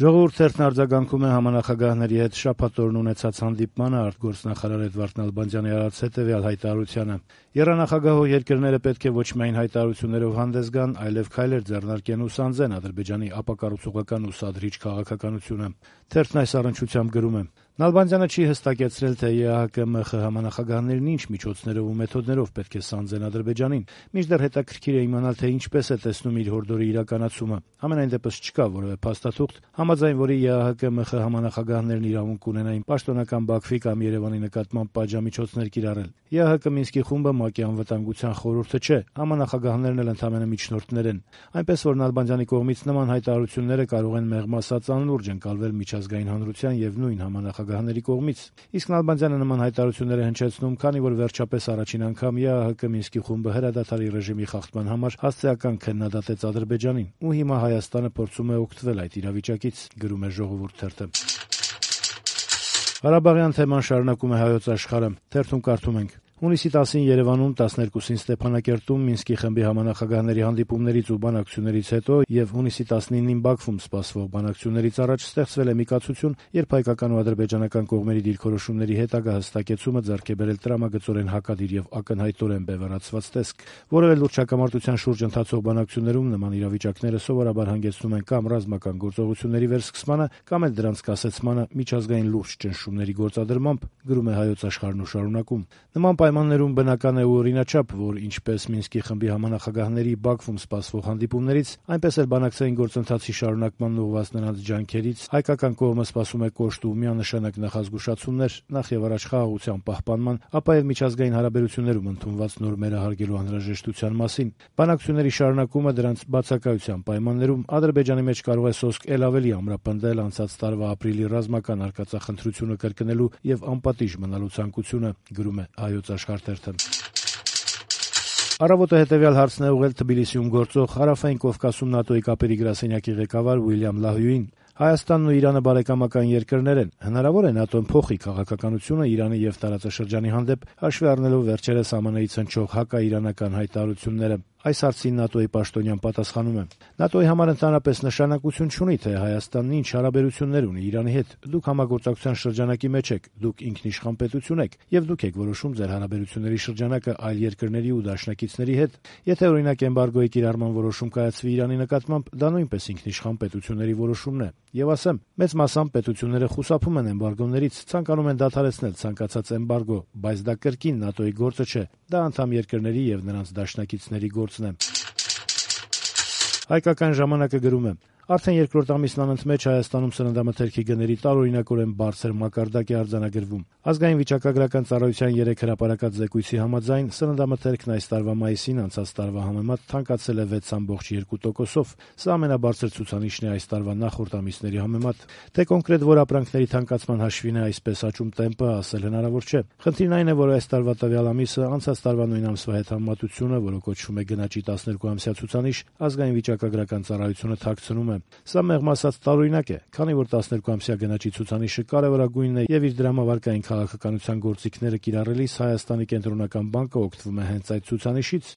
Ժողովուրդ թերթն արձագանքում է համանախագահների հետ շաբաթօրն ունեցած հանդիպմանը արտգործնախարար Էդվարդ Նալբանդյանի արած հետեւյալ հայտարարությանը. «Եռանախագահող երկրները պետք է ոչ միայն հայտարարություններով հանդես գան, այլև քայլեր ձեռնարկեն ու սանձեն Ադրբեջանի ապակառուցողական ու սադրիչ քաղաքականությունը»։ Թերթն այս առնչությամբ գրում է. Նալբանդյանը չի հստակեցրել, թե ԵԱՀԿ-ՄԽ համանախագահներն ինչ միջոցներով ու մեթոդներով պետք է սանձեն Ադրբեջանին, մինչդեռ հետաքրքիր է իմանալ, թե ինչպես է տեսնում իր հորդորի իրականացումը։ Համենայն դեպս չկա որևէ փաստաթուղթ, համաձայն որի ԵԱՀԿ-ՄԽ համանախագահներն իրավունք ունենային պաշտոնական Բաքվի կամ Երևանի նկատմամբ պատժամիջոցներ կիրառել։ ԵԱՀԿ Մինսկի խումբը ՄԱԿ-ի անվտանգության խորհուրդը չէ, համանախագահներն էլ ընդամենը միջնորդներ են։ Այնպես որ Նալբանդյանի կողմից նման հայտարարությունները կարող են մեղմ ասած անլուրջ ընկալվել միջազգային հանրության եւ նույն համանախագահների կողմից։ Իսկ Նալբանդյանը նման հայտարարություններ է հնչեցնում, քանի որ վերջապես առաջին անգամ ԵԱՀԿ Մինսկի խումբը հրադադարի ռեժիմի խախտման համար հասցեական քննադատեց Ադրբեջանին, ու հիմա Հայաստանը փորձում է օգտվել այդ իրավիճակից, գրում է Ժողովուրդ թերթը։ Ղարաբաղյան թեման շարունակում է Հայոց Աշխարհը։ Թերթում կարդում ենք. Հունիսի 10-ին Երևանում, 12-ին Ստեփանակերտում Մինսկի խմբի համանախագահների հանդիպումներից ու բանակցություններից հետո եւ հունիսի 19-ին Բաքվում սպասվող բանակցություններից առաջ ստեղծվել է մի կացություն, երբ հայկական ու ադրբեջանական կողմերի դիրքորոշումների հետագա հստակեցումը ձեռք է բերել տրամագծորեն հակադիր եւ ակնհայտորեն բևեռացված տեսք։ Որևէ լուրջ հակամարտության շուրջ ընթացող բանակցություններում նման իրավիճակները սովորաբար հանգեցնում են կամ ռազմական գործողությունների վերսկսմանը, կամ էլ դրանց կասեցմանը միջազգային լուրջ ճնշումների գործադրմամբ, գրում է Հայոց Աշխարհն ու շարունակում. Նման պայմաններում բնական է ու օրինաչափ, որ ինչպես Մինսկի խմբի համանախագահների Բաքվում սպասվող հանդիպումներից, այնպես էլ բանակցային գործընթացի շարունակման ուղղված նրանց ջանքերից հայկական կողմը սպասում է կոշտ ու միանշանակ նախազգուշացումներ, նախ եւ առաջ խաղաղության պահպանման, ապա եւ միջազգային հարաբերություններում ընդունված նորմերը հարգելու անհրաժեշտության մասին։ Բանակցությունների շարունակումը դրանց բացակայության պայմաններում Ադրբեջանի մեջ կարող է սոսկ էլ ավելի ամրապնդել անցած տարվա ապրիլի ռազմական արկածախնդրությունը կրկնելու եւ անպատիժ մնալու ցանկությունը, գրում է Հայոց Աշխարհ թերթը։ Առավոտը հետեւյալ հարցն է ուղղել Թբիլիսիում գործող Հարավային Կովկասում ՆԱՏՕ-ի կապերի գրասենյակի ղեկավար Ուիլյամ Լահյուին։ Հայաստանն ու Իրանը բարեկամական երկրներ են։ Հնարավոր է ՆԱՏՕ-ն փոխի քաղաքականությունը Իրանի եւ տարածաշրջանի հանդեպ, հաշվի առնելով վերջերս ԱՄՆ-ից հնչող հակաիրանական հայտարարությունները։ Այս հարցին ՆԱՏՕ-ի պաշտոնյան պատասխանում է. ՆԱՏՕ-ի համար ընդհանրապես նշանակություն չունի, թե Հայաստանն ինչ հարաբերություններ ունի Իրանի հետ։ Դուք համագործակցության շրջանակի մեջ եք, դուք ինքնիշխան պետություն եք, եւ դուք եք որոշում ձեր հարաբերությունների շրջանակը այլ երկրների ու դաշնակիցների հետ։ Եթե օրինակ էմբարգոյի կիրառման որոշում կայացվի Իրանի նկատմամբ, դա նույնպես ինքնիշխան պետությունների որոշումն է։ Եվ ասեմ, մեծ մասամբ պետությունները խուսափում են էմբարգոներից, ցանկանում են դադարեցնել ցանկացած էմբարգո, բայց դա կրկին ՆԱՏՕ-ի գործը չէ, դա անդամ երկրների եւ նրանց դաշնակիցների գործն է։ Հայկական ժամանակը գրում է. Արդեն երկրորդ ամիսն անընդմեջ Հայաստանում սննդամթերքի գների տարօրինակորեն բարձր մակարդակ է արձանագրվում։ Ազգային վիճակագրական ծառայության 3 հրապարակած զեկույցի համաձայն սննդամթերքն այս տարվա մայիսին անցած տարվա համեմատ թանկացել է 6.2%-ով։ Սա ամենաբարձր ցուցանիշն է այս տարվա նախորդ ամիսների համեմատ։ Թե կոնկրետ որ ապրանքների թանկացման հաշվին է այսպես աճում տեմպը, ասել հնարավոր չէ։ Խնդիրն այն է, որ այս տարվա տվյալ ամիսը անցած տարվա նույն ամսվա հետ համեմատությունը, որը կոչվում է գնաճի 12-ամսյա ցուցանիշ, ազգային վիճակագրական ծառայությունը թաքցնում է։ Սա մեղմ ասած տարօրինակ է, քանի որ 12-ամսյա գնաճի ցուցանիշը կարևորագույնն է եւ իր դրամավարկային քաղաքականության գործիքները կիրառելիս Հայաստանի կենտրոնական բանկը օգտվում է հենց այդ ցուցանիշից։